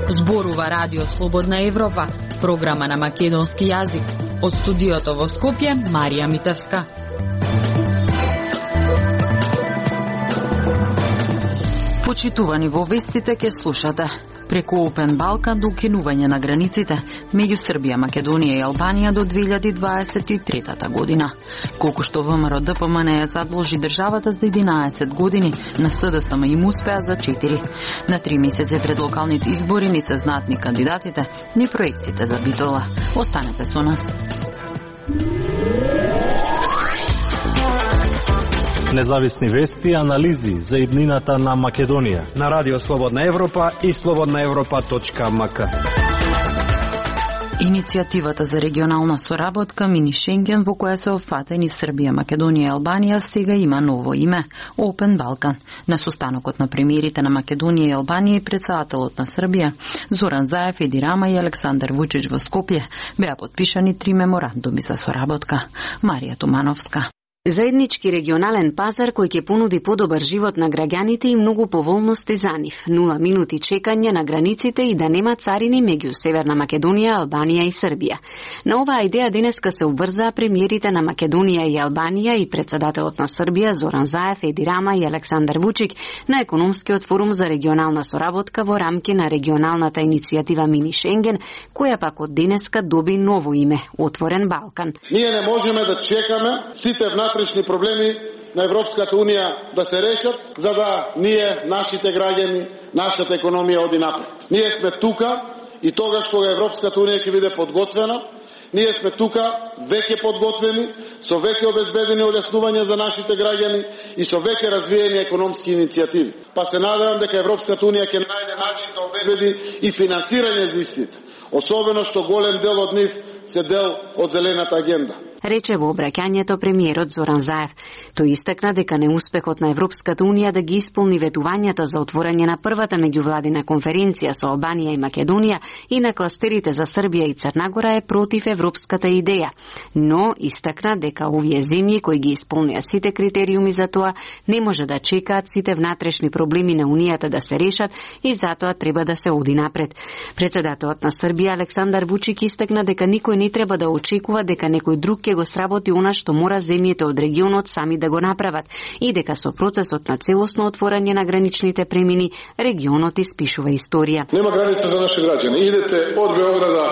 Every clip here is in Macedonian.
Зборува Радио Слободна Европа, програма на македонски јазик. Од студиото во Скопје, Марија Митевска. Почитувани во вестите ке слушате. Преку Open Balkan до укинување на границите меѓу Србија, Македонија и Албанија до 2023 година. Колку што ВМРО ДПМН ја задолжи државата за 11 години, на СДСМ им успеа за 4. На 3 месеци пред локалните избори не се знаат ни кандидатите, ни проектите за Битола. Останете со нас. Независни вести и анализи за иднината на Македонија на Радио Слободна Европа и slobodnaevropa.mk. Иницијативата за регионална соработка Мини Шенген, во која се опфатени Србија, Македонија и Албанија, сега има ново име – Open Balkan. На состанокот на премиерите на Македонија и Албанија и претседателот на Србија Зоран Заев, Еди Рама и Александар Вучич во Скопје беа подпишани 3 меморандуми за соработка. Марија Тумановска. Заеднички регионален пазар кој ќе понуди подобар живот на граѓаните и многу поволности за нив. 0 минути чекање на границите и да нема царини меѓу Северна Македонија, Албанија и Србија. На оваа идеја денеска се обврзаа премиерите на Македонија и Албанија и претседателот на Србија Зоран Заев, Еди Рама и Александар Вучик на економскиот форум за регионална соработка во рамки на регионалната иницијатива Мини Шенген, која пак од денеска доби ново име – Отворен Балкан. Ние не можеме да чекаме сите внатрешни проблеми на Европската Унија да се решат, за да нашите граѓани, нашата економија оди напред. Ние сме тука и тогаш кога Европската Унија ќе биде подготвена, ние сме тука веќе подготвени, со веќе обезбедени олеснувања за нашите граѓани и со веќе развиени економски иницијативи. Па се надевам дека Европската Унија ќе најде начин да обезбеди и финансирање за истите, особено што голем дел од нив се дел од зелената агенда. Рече во обраќањето премиерот Зоран Заев. Тој истакна дека неуспехот на Европската Унија да ги исполни ветувањата за отворање на првата меѓувладина конференција со Албанија и Македонија и на кластерите за Србија и Црна Гора е против европската идеја. Но истакна дека овие земји кои ги исполнија сите критериуми за тоа не може да чекаат сите внатрешни проблеми на Унијата да се решат и затоа треба да се оди напред. Претседателот на Србија Александар Вучик истакна дека никој не треба да очекува дека некој друг ќе го сработи она што мора земјите од регионот сами да го направат и дека со процесот на целосно отворање на граничните премини регионот испишува историја. Нема граница за наши граѓани. Идете од Београда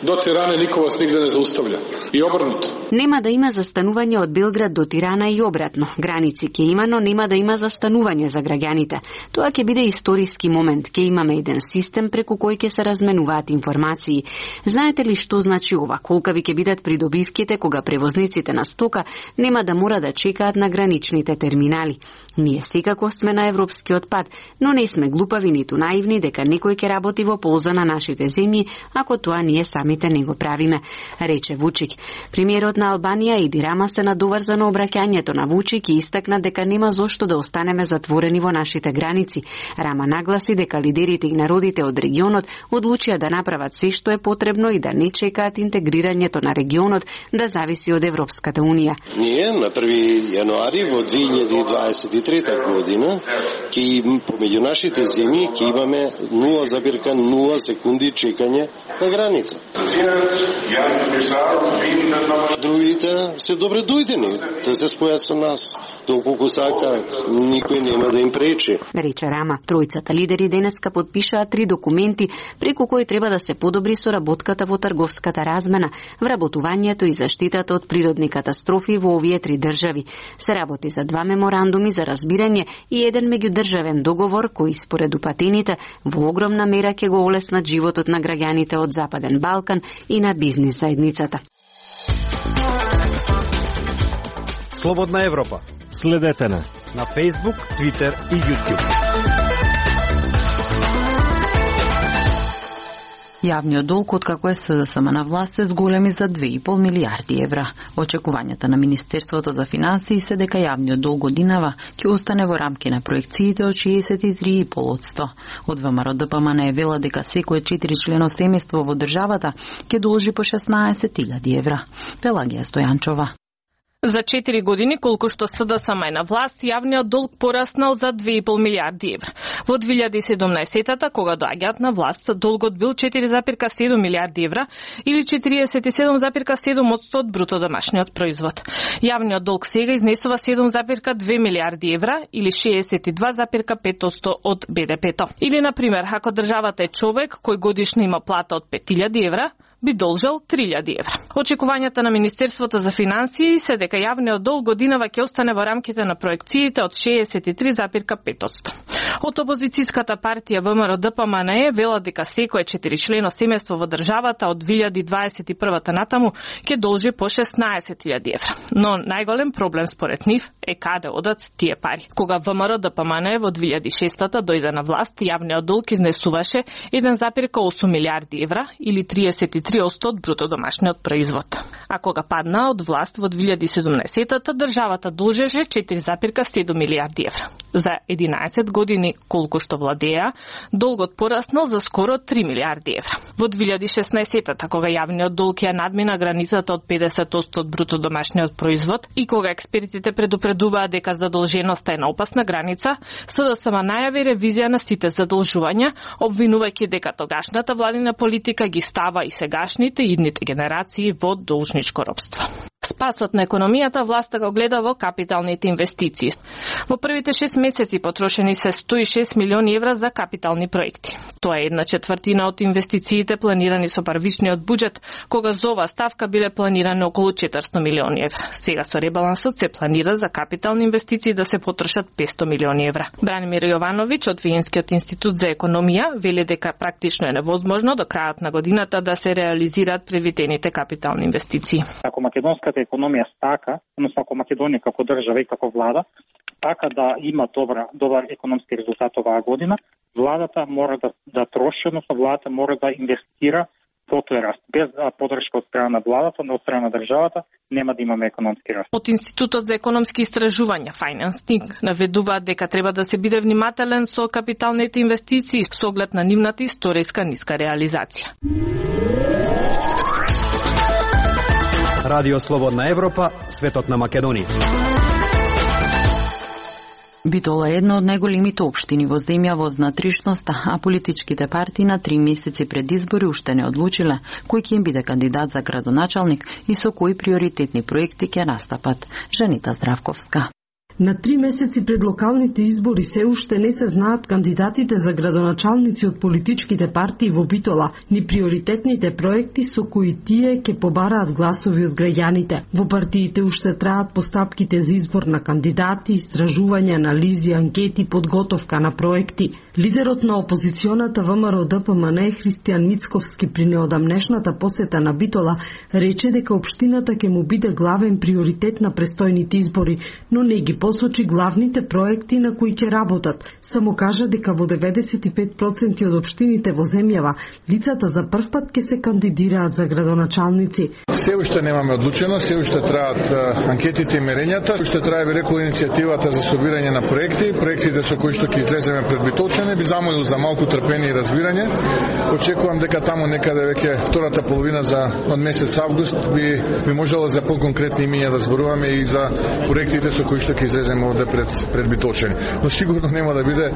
до Тирана, никој вас нигде не зауставља. И обрнато. Нема да има застанување од Белград до Тирана и обратно. Граници ќе има, но нема да има застанување за граѓаните. Тоа ќе биде историски момент. Ќе имаме еден систем преку кој ќе се разменуваат информации. Знаете ли што значи ова? Колкави ќе бидат придобивките кога превозниците на стока нема да мора да чекаат на граничните терминали. Ние секако сме на европскиот пат, но не сме глупави ниту наивни дека некој ќе работи во полза на нашите земји, ако тоа ние самите не го правиме, рече Вучик. Премиерот на Албанија Еди Рама се надоврза на обраќањето на Вучик и истакна дека нема зошто да останеме затворени во нашите граници. Рама нагласи дека лидерите и народите од регионот одлучија да направат се што е потребно и да не чекаат интегрирањето на регионот да зависи од Европската Унија. Ние на 1 јануари во 2023 година ќе помеѓу нашите земји ќе имаме 0,0 секунди чекање на граница. Другите се добре дојдени да се спојат со нас. Доколку сакаат, никој нема да им пречи. Рече Рама. Тројцата лидери денеска подпишаа 3 документи преку кои треба да се подобри соработката во трговската размена, вработувањето и заштитата од природни катастрофи во овие 3 држави. Се работи за 2 меморандуми за разбирање и еден меѓудржавен договор кои според упатените во огромна мера ќе го олеснат животот на граѓаните од Западен Балкан и на бизнис заедницата. Слободна Европа. Следете на Facebook, Twitter и YouTube. Јавниот долг откако е СДСМ на власт се зголеми за 2,5 милијарди евра. Очекувањата на Министерството за финансии се дека јавниот долг годинава ќе остане во рамки на проекциите од 63,5%. Од ВМРО ДПМН е вела дека секое 4-члено семејство во државата ќе должи по 16.000 евра. Пелагија Стојанчова. За 4 години, колку што СДСМ е на власт, јавниот долг пораснал за 2,5 милијарди евра. Во 2017-та, кога доаѓаат на власт, долгот бил 4,7 милијарди евра или 47,7% од бруто домашниот производ. Јавниот долг сега изнесува 7,2 милијарди евра или 62,5% од БДП-то. Или, например, ако државата е човек кој годишно има плата од 5.000 евра, би должел 3.000 евра. Очекувањата на Министерството за финансии се дека јавниот долг годинава ќе остане во рамките на проекциите од 63,5%. Од опозицијската партија ВМРО ДПМН вела дека секое 4-члено семејство во државата од 2021 натаму ќе должи по 16.000 евра. Но најголем проблем според нив е каде одат тие пари. Кога ВМРО ДПМН во 2006-та дојде на власт, јавниот долг изнесуваше 1,8 милијарди евра или 33% од бруто домашниот производ. А кога падна од власт во 2017-та, државата должеше 4,7 милијарди евра. За 11 години колку што владеа, долгот пораснал за скоро 3 милијарди евра. Во 2016-та, кога јавниот долг ја надмина границата од 50% од бруто домашниот производ и кога експертите предупредуваат дека задолженоста е на опасна граница, СДСМ најави ревизија на сите задолжувања, обвинувајќи дека тогашната владина политика ги става и сегашните и идните генерации во должничко робство. Спасот на економијата власта го гледа во капиталните инвестиции. Во првите 6 месеци потрошени се 106 милиони евра за капитални проекти. Тоа е 1/4 од инвестициите планирани со првичниот буџет, кога за оваа ставка биле планирани околу 400 милиони евра. Сега со ребалансот се планира за капитални инвестиции да се потрошат 500 милиони евра. Бранимир Јовановиќ од Виенскиот институт за економија вели дека практично е невозможно до крајот на годината да се реализираат предвидените капитални инвестиции. Ако македонската економија стака, односно ако Македонија како држава и како влада така да има добар економски резултат оваа година, владата мора да троши, односно владата мора да инвестира во тој раст. Без поддршка од страна на владата, од страна на државата, нема да имаме економски раст. Од Институтот за економски истражувања Financing наведуваат дека треба да се биде внимателен со капиталните инвестиции со оглед на нивната историска ниска реализација. Радио Слободна Европа, светот на Македонија. Битола е една од најголемите општини во земја во внатрешноста, а политичките партии на 3 месеци пред избори уште не одлучиле кој ќе им биде кандидат за градоначалник и со кои приоритетни проекти ќе настапат. Жанита Здравковска. На 3 месеци пред локалните избори се уште не се знаат кандидатите за градоначалници од политичките партии во Битола, ни приоритетните проекти со кои тие ќе побараат гласови од граѓаните. Во партиите уште траат постапките за избор на кандидати, истражувања, анализи, анкети, подготовка на проекти. Лидерот на опозиционата ВМРО ДПМН Христијан Мицковски при неодамнешната посета на Битола рече дека општината ќе му биде главен приоритет на престојните избори, но не ги посочи главните проекти на кои ќе работат. Само кажа дека во 95% од општините во земјава лицата за прв пат ќе се кандидираат за градоначалници. Се уште немаме одлучено, се уште траат анкетите и мерењата, уште трае би рекол иницијативата за собирање на проектите со кои што ќе излеземе пред битолчани, би замолил за малку трпение и разбирање. Очекувам дека таму некаде веќе втората половина од месец август би можело за поконкретни имиња да зборуваме и за проектите со кои што ќе излеземе овде пред битолчани. Но сигурно нема да биде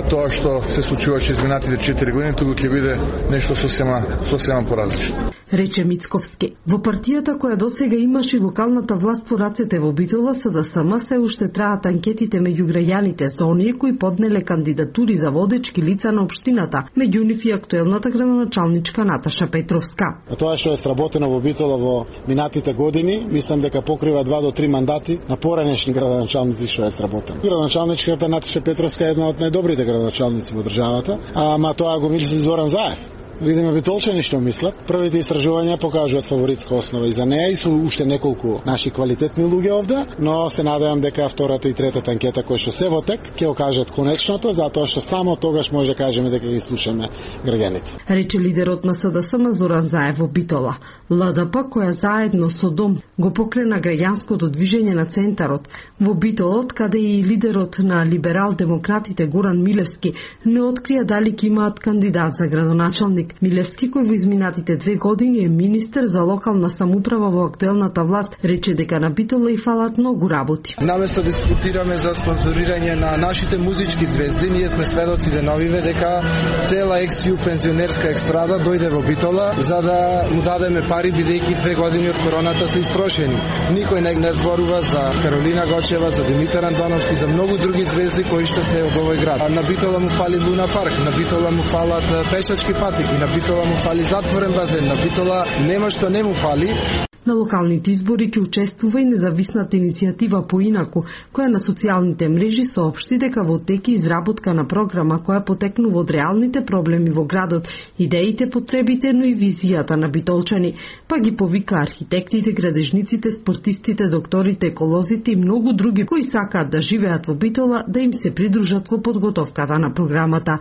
тоа што се случуваше изминатите 4 години, туку ќе биде нешто сосема поразлично. Рече Мицковски. Во партијата која досега имаше локалната власт по рацете во Битола, СДСМ се уште траат анкетите меѓу граѓаните за оние кои поднеле кандидатури за водечки лица на општината, меѓу нив и актуелната градоначалничка Наташа Петровска. Тоа што е сработено во Битола во минатите години, мислам дека покрива 2 до 3 мандати на поранешни градоначалници што е сработено. Градоначалничката Наташа Петровска е една од најдобрите градоначалници во државата, ама тоа го мисли Зоран Заев. видиме битолчани што мислат. Првите истражувања покажуваат фаворитска основа и за неа и со уште неколку наши квалитетни луѓе овде, но се надевам дека втората и третата анкета кои што се во тек ќе окажат конечното, затоа што само тогаш може да кажеме дека ги слушаме граѓаните. Рече лидерот на СДСМ Зоран Заев во Битола. ЛДП која заедно со ДОМ го покрена граѓанското движење на центарот во Битолот, каде и лидерот на либерал-демократите Горан Милевски не открија дали ќе имаат кандидат за градоначалник. Милевски, кој во изминатите 2 години е министер за локална самоуправа во актуелната власт, рече дека на Битола и фалат многу работи. Наместо да дискутираме за спонзорирање на нашите музички звезди, ние сме сведоци деновиве дека цела ексју пензионерска екстрада дојде во Битола за да му дадеме пари, бидејќи 2 години од короната се истрошени. Никој не зборува за Каролина Гочева, за Димитар Антоновски, за многу други звезди кои што се од овој град. На Битола му фали Луна парк, на Битола му фалат пешачки патеки, на Битола му фали затворен базен, на Битола нема што не му фали. На локалните избори ќе учествува и независната иницијатива Поинаку, која на социјалните мрежи соопшти дека во тек е изработка на програма која потекнува од реалните проблеми во градот, идеите, потребите, но и визијата на битолчани, па ги повика архитектите, градежниците, спортистите, докторите, еколозите и многу други кои сакаат да живеат во Битола да им се придружат во подготовката на програмата.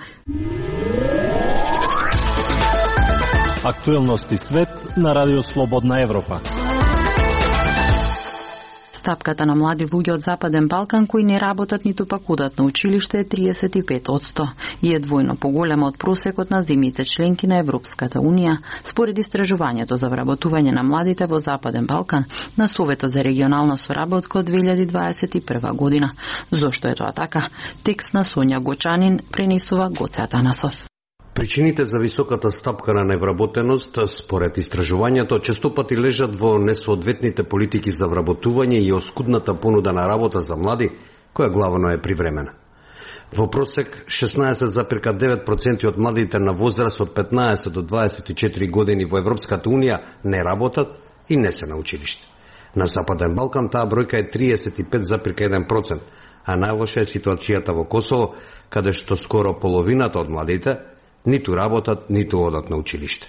Актуелности свет на Радио Слободна Европа. Стапката на млади луѓе од Западен Балкан кои не работат ниту пак одат на училиште е 35% и е двојно поголема од просекот на земјите членки на Европската Унија, според истражувањето за вработување на младите во Западен Балкан на Советот за регионална соработка од 2021 година. Зошто е тоа така? Текст на Сонја Гочанин пренесува Гоце Атанасов. Причините за високата стапка на невработеност, според истражувањето, честопати лежат во несоодветните политики за вработување и оскудната понуда на работа за млади, која главно е привремена. Во просек, 16,9% од младите на возраст од 15 до 24 години во Европската Унија не работат и не се на училиште. На Западен Балкан таа бројка е 35,1%, а најлоша е ситуацијата во Косово, каде што скоро половината од младите ниту работат, ниту одат на училиште.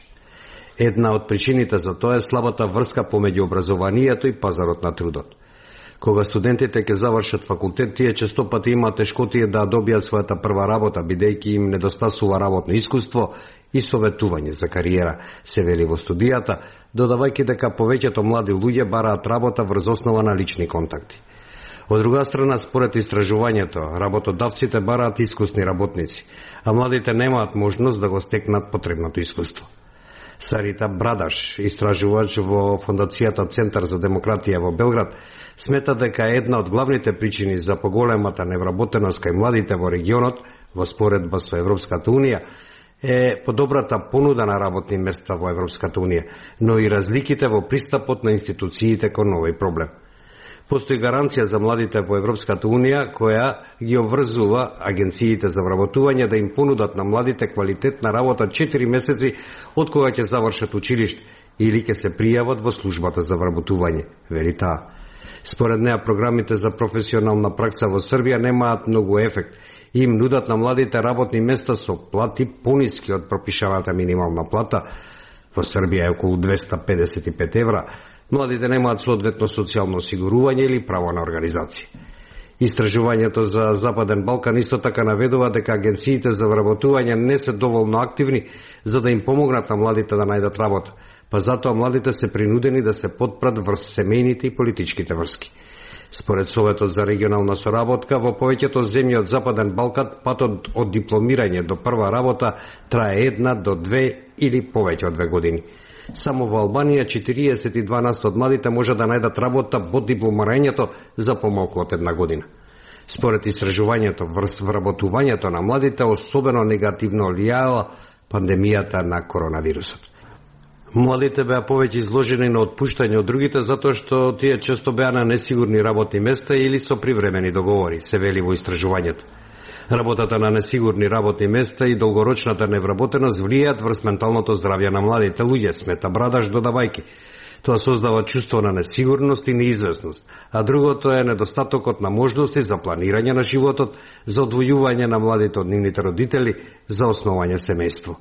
Една од причините за тоа е слабата врска помеѓу образованието и пазарот на трудот. Кога студентите ќе завршат факултет, тие честопати имаат тешкотија да добијат својата прва работа, бидејќи им недостасува работно искуство и советување за кариера, се вели во студијата, додавајќи дека повеќето млади луѓе бараат работа врз основа на лични контакти. Од друга страна, според истражувањето, работодавците бараат искусни работници, а младите немаат можност да го стекнат потребното искуство. Сарита Брадаш, истражувач во Фондацијата Центар за демократија во Белград, смета дека една од главните причини за поголемата невработеност кај младите во регионот, во споредба со Европската Унија, е подобрата понуда на работни места во Европската Унија, но и разликите во пристапот на институциите кон овој проблем. Постои гаранција за младите во Европската Унија која ги обврзува агенциите за вработување да им понудат на младите квалитетна работа 4 месеци од кога ќе завршат училиште или ќе се пријават во службата за вработување, вели таа. Според неа програмите за професионална пракса во Србија немаат многу ефект и им нудат на младите работни места со плати пониски од пропишаната минимална плата. Во Србија е околу 255 евра. Младите немаат соодветно социјално осигурување или право на организација. Истражувањето за Западен Балкан исто така наведува дека агенциите за вработување не се доволно активни за да им помогнат на младите да најдат работа, па затоа младите се принудени да се потпрат врз семејните и политичките врски. Според Советот за регионална соработка, во повеќето земји од Западен Балкан патот од дипломирање до прва работа трае 1 до 2 или повеќе од 2 години. Само во Албанија 42% од младите може да најдат работа во дипломирањето за помалку од 1 година. Според истражувањето, врз вработувањето на младите особено негативно влијаела пандемијата на коронавирусот. Младите беа повеќе изложени на отпуштање од другите затоа што тие често беа на несигурни работни места или со привремени договори, се вели во истражувањето. Работата на несигурни работни места и долгорочната невработеност влијаат врз менталното здравје на младите луѓе, смета Брадаш додавајки. Тоа создава чувство на несигурност и неизвестност, а другото е недостатокот на можности за планирање на животот, за одвојување на младите од нивните родители, за основање семејство.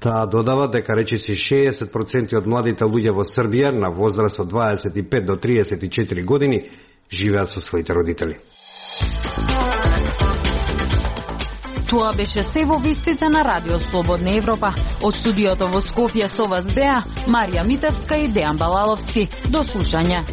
Таа додава дека речиси 60% од младите луѓе во Србија на возраст од 25 до 34 години живеат со своите родители. Тоа беше се во вестите на Радио Слободна Европа. Од студиото во Скопје со вас беа Марија Митевска и Дејан Балаловски. До слушање.